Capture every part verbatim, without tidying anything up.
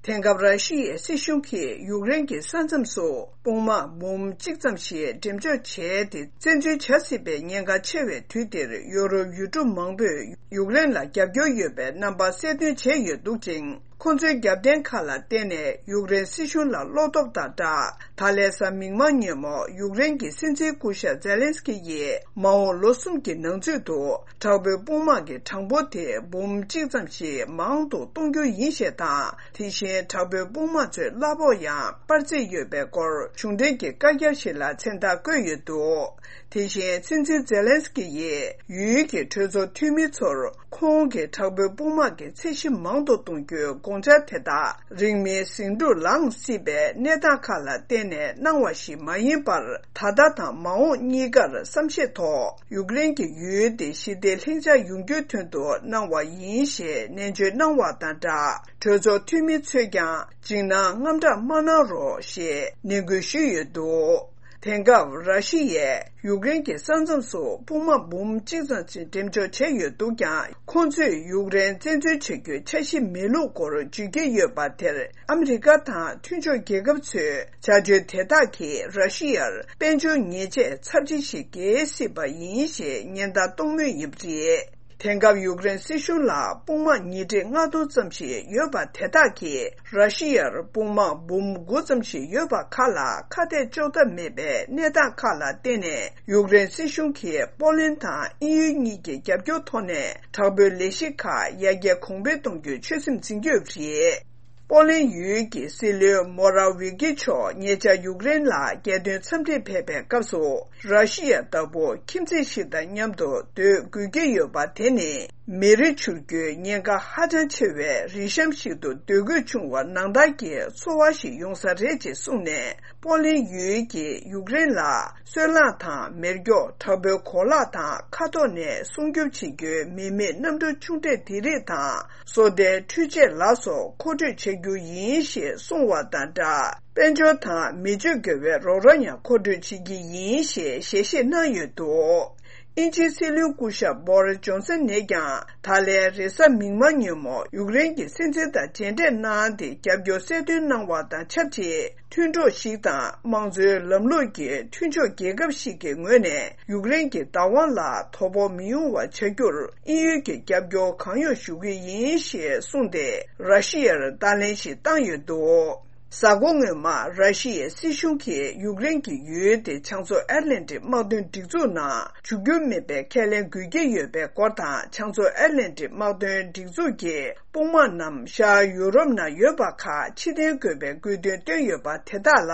དེང་སྐབས་ར་ཤི་ཡའི་སྲིད་གཞུང་གིས་ཡུཀ་རེན་གྱི་ས་མཚམས་སུ་དཔུང་དམག་འབུམ་གཅིག་ཙམ་ཞིག་འགྲེམས་འཇོག་བྱས་ཏེ། བཙན་འཛུལ་བྱ་སྲིད་པའི་ཉེན་ཁ་ཆེ་བའི་དུས་འདིར། ཡོ་རོབ་ཡུལ་གྲུ་མང་པོས་ཡུཀ་རེན་ལ་རྒྱབ་སྐྱོར་ཡོད་པའི་རྣམ་པ་གསལ་སྟོན་བྱས་ཡོད་འདུག་ཅིང་། ཁོ་ཚོའི་རྒྱབ་རྟེན་ཁག་ལ་བརྟེན་ནས་ཡུཀ་རེན་སྲིད་གཞུང་ལ་བློ་སྟོབས་དང་སྦྲགས། ད་ལན་གཟའ་མིག་དམར་ཉིན་མོ་ཡུཀ་རེན་གྱི་སྲིད་འཛིན་སྐུ་ཞབས་ཛེ་ལན་སི་ཀི་ཡིས། མ་འོངས་ལོ་གསུམ་གྱི་ནང་ཚུད་དུ། དྲག་པོའི་དཔུང་དམག་གི་གྲངས་འབོར་དེ་འབུམ་གཅིག་ཙམ་ཞིག་མང་དུ་གཏོང་རྒྱུ་ཡིན་ཞེས་དང་། དེ་བཞིན་དྲག་པོའི་དཔུང་དམག་ཚོའི་གླ་ཕོགས་ཡང་སྤར་རྩིས་ཡོད་པའི་སྐོར། གཞུང་འབྲེལ་གྱི་བཀའ་རྒྱ་ཞིག་ལ་མཚན་རྟགས་བཀོད་ཡོད་འདུག་དེ་བཞིན་སྲིད་འཛིན་ཛེ་ལན་སི་ཀི་ཡིས། ཡུལ་གྱི་གྲོས་ཚོགས་འཐུས་མི་ཚོར། ཁོང་གིས་དྲག་པོའི་དཔུང་དམག་གི་ཚད་གཞི་མང་དུ་གཏོང་རྒྱུའི་དགོངས་འཆར་དེ་དག་རིང་མིན་ཟིང་འཁྲུག་ལངས་སྲིད་པའི་གནས་སྟངས་ཁག་ལ་བརྟེན་ནས་གནང་བ་ཞིག་མ་ཡིན་པར། ད་ལྟ་དང་མ་འོངས་གཉིས་ཀར་བསམ་ཤེས་ཐོག་ཡུཀ་རེན་གྱི་ཡུལ་དེ་ཞི་བདེ་ལྷིང་འཇགས་ཡོང་རྒྱུའི་དོན་དུ་གནང་བ་ཡིན་ཞེས་ནན་བརྗོད་གནང་བ་དང་སྦྲགས། གྲོས་ཚོགས་འཐུས་མི་ཚོས་ཀྱང་འཇིགས་སྣང་དངངས་སྐྲག་མ་གནང་རོགས་ཞེས་ནན་སྐུལ་ཞུས་ཡོད་འདུག་དེང་སྐབས་ར་ཤི་ཡས་ཡུཀ་རེན་གྱི་ས་མཚམས་སུ་དཔུང་དམག་འབུམ་གཅིག་ཙམ་ཞིག་འགྲེམས་འཇོག་བྱས་ཡོད་འདུག་ཀྱང་། ཁོང་ཚོས་ཡུཀ་རེན་བཙན་འཛུལ་བྱ་རྒྱུའི་འཆར་གཞི་མེད་ལུགས་སྐོར་བརྗོད་ཀྱི་ཡོད་པ་དེར། ཨ་མི་རི་ཀ་དང་མཐུན་ཕྱོགས་རྒྱལ་ཁབ་ཚོས་བྱ་སྤྱོད་དེ་དག་གིས་ར་ཤི་ཡར་དཔལ་འབྱོར་ཉེས་ཆད་ཚབས་ཆེ་ཞིག་འགེལ་སྲིད་པ་ཡིན་ཞེས་ཉེན་བརྡ་གཏོང་མུས་ཡིན་པ་རེད། དེང་སྐབས་ཡུཀ་རེན་སྲིད་གཞུང་ལ་དཔུང་དམག་ཉིས་ཁྲི་ལྔ་སྟོང་ཙམ་ཞིག་ཡོད་པ་དེ་དག་གིས་ར་ཤི་ཡར་དཔུང་དམག་འབུམ་དགུ་ཙམ་ཞིག་ཡོད་པ་ཁག་ལ་ཁ་གཏད་གཅོག་ཐབས་མེད་པའི་གནས་སྟངས་ཁག་ལ་བརྟེན་ནས། ཡུཀ་རེན་སྲིད་གཞུང་གིས་པོ་ལན་དང་དབྱིན་ཡུལ་གཉིས་ཀྱི་རྒྱབ་སྐྱོར་ཐོག་ནས་དྲག་པོའི་ལས་གཞི་ཁག་ཡར་རྒྱས་གོང་འཕེལ་གཏོང་རྒྱུའི་ཆོད་སེམས་འཛིན་གྱི་ཡོད་པ་རེད། པོ་ལན་ཡུལ་གྱི་སྲིད་བློན་མོ་ར་ཝི་ཀི་མཆོག་ཉེ་ཆར་ཡུཀ་རེན་ལ་རྒྱལ་དོན་འཚམས་འདྲིར་ཕེབས་པའི་སྐབས་སུ། ར་ཤི་ཡ་ལྟ་བུ་ཁྱིམ་མཚེས་ཤིག་དང་མཉམ་དུ་སྡོད་དགོས་ཀྱི་ཡོད་པ་དེ་ནི། མེ་རི་འཕྱུར་རྒྱུའི་ཉེན་ཁ་ཧ་ཅང་ཆེ་བའི་རི་གཤམ་ཞིག་ཏུ་སྡོད་དགོས་བྱུང་བ་ནང་ལྟར་གྱི་ཚོར་བ་ཞིག་ཡོང་ས་རེད་ཅེས་གསུངས་ནས། པོ་ལན་ཡུལ་གྱིས་ཡུཀ་རེན་ལ་སོལ་རླངས་དང་མེ་སྒྱོགས། དྲག་པོའི་གོ་ལག་དང་མཁའ་ཐོག་ནས་སྲུང་སྐྱོབ་བྱེད་རྒྱུའི་མི་མེད་གནམ་གྲུ་ཆུང་གྲས་དེ་རིགས་དང་། སོ་ལྟའི་འཕྲུལ་ཆས་ལ་སོགས་མཁོ་སྤྲོད་བྱ་རྒྱུ་ཡིན་ཞེས་གསུངས་བ་དང་སྦྲགས། དཔལ་འབྱོར་དང་མི་སྤྱོད་དགེ་བའི་རོགས་རམ་ཡང་མཁོ་སྤྲོད་བྱེད་ཀྱི་ཡིན་ཞེས་ཞལ་བཞེས་གནང་ཡོད་འདུག་དབྱིན་ཇིའི་སྲིད་བློན་སྐུ་ཞབས་བྷོ་རི་ཇོན་སན་ནས་ཀྱང་། ད་ལན་རེས་གཟའ་མིག་དམར་ཉིན་མོ་ཡུཀ་རེན་གྱི་སྲིད་འཛིན་དང་མཇལ་འཕྲད་གནང་སྟེ། རྒྱབ་སྐྱོར་གསལ་སྟོན་གནང་བ་དང་ཆབས་ཅིག་མཐུན་གྲོགས་ཤིག་དང་། དམངས་གཙོའི་ལམ་ལུགས་ཀྱི་མཐུན་ཕྱོགས་རྒྱལ་ཁབ་ཞིག་གི་ངོས་ནས། ཡུཀ་རེན་གྱི་བདག་དབང་ལ་དོ་ཕོག་མི་ཡོང་བ་བྱ་རྒྱུར། དབྱིན་ཡུལ་གྱི་རྒྱབ་སྐྱོར་གང་ཡོང་ཞུ་གི་ཡིན་ཞེས་གསུངས་ཏེ། ར་ཤི་ཡར་བརྡ་ལན་ཞིག་བཏང་ཡོད་འདུག་གཟའ་འཁོར་སྔོན་མ། ར་ཤི་ཡའི་སྲིད་གཞུང་གིས་ཡུཀ་རེན་གྱི་ཡུལ་དེ་བྱང་མཚོ་ཨེཊ་ལན་ཊིག་དམག་དོན་སྒྲིག་འཛུགས་ནང་འཇུག་རྒྱུ་མིན་པའི་ཁས་ལེན་དགོས་ཀྱི་ཡོད་པའི་སྐོར་དང་། བྱང་མཚོ་ཨེཊ་ལན་ཊིག་དམག་དོན་སྒྲིག་འཛུགས་ཀྱི་དཔུང་དམག་རྣམས་ཤར་ཡུ་རོབ་ནང་ཡོད་པ་ཁག་ཕྱིར་འཐེན་དགོས་པའི་དགོས་འདུན་བཏོན་ཡོད་པ་དེ་དག་ལ།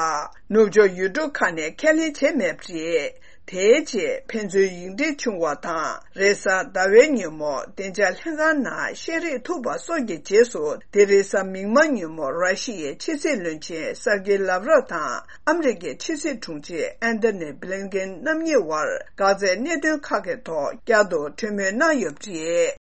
ནུབ་ཕྱོགས་ཡུལ་གྲུ་ཁག་ནས་ཁས་ལེན་བྱས་མེད་པ་རེད། དེའི་རྗེས་ཕན་ཚུན་ཡིག་འབྲེལ་བྱུང་བ་དང་། རེས་གཟའ་ཟླ་བའི་ཉིན་མོ་བདེ་འཇགས་ལྷན་ཁང་ནང་བཤད་རེས་ཐུབ་པ་སོགས་ཀྱི་རྗེས་སུ། དེ་རིང་གཟའ་མིག་དམར་ཉིན་མོ་ར་ཤི་ཡའི་ཕྱི་སྲིད་བློན་ཆེན་སར་ཀེ་ལབ་རོབ་དང་། ཨ་མི་རི་ཀའི་ཕྱི་སྲིད་དྲུང་ཆེ་ཨན་ཐོ་ནི་བྷི་ལིན་ཀེན་རྣམ་གཉིས་དབར། འགག་རྩའི་གནད་དོན་ཁག་གི་ཐོག་བསྐྱར་དུ་གྲོས་མོལ་གནང་ཡོད་པ་རེད།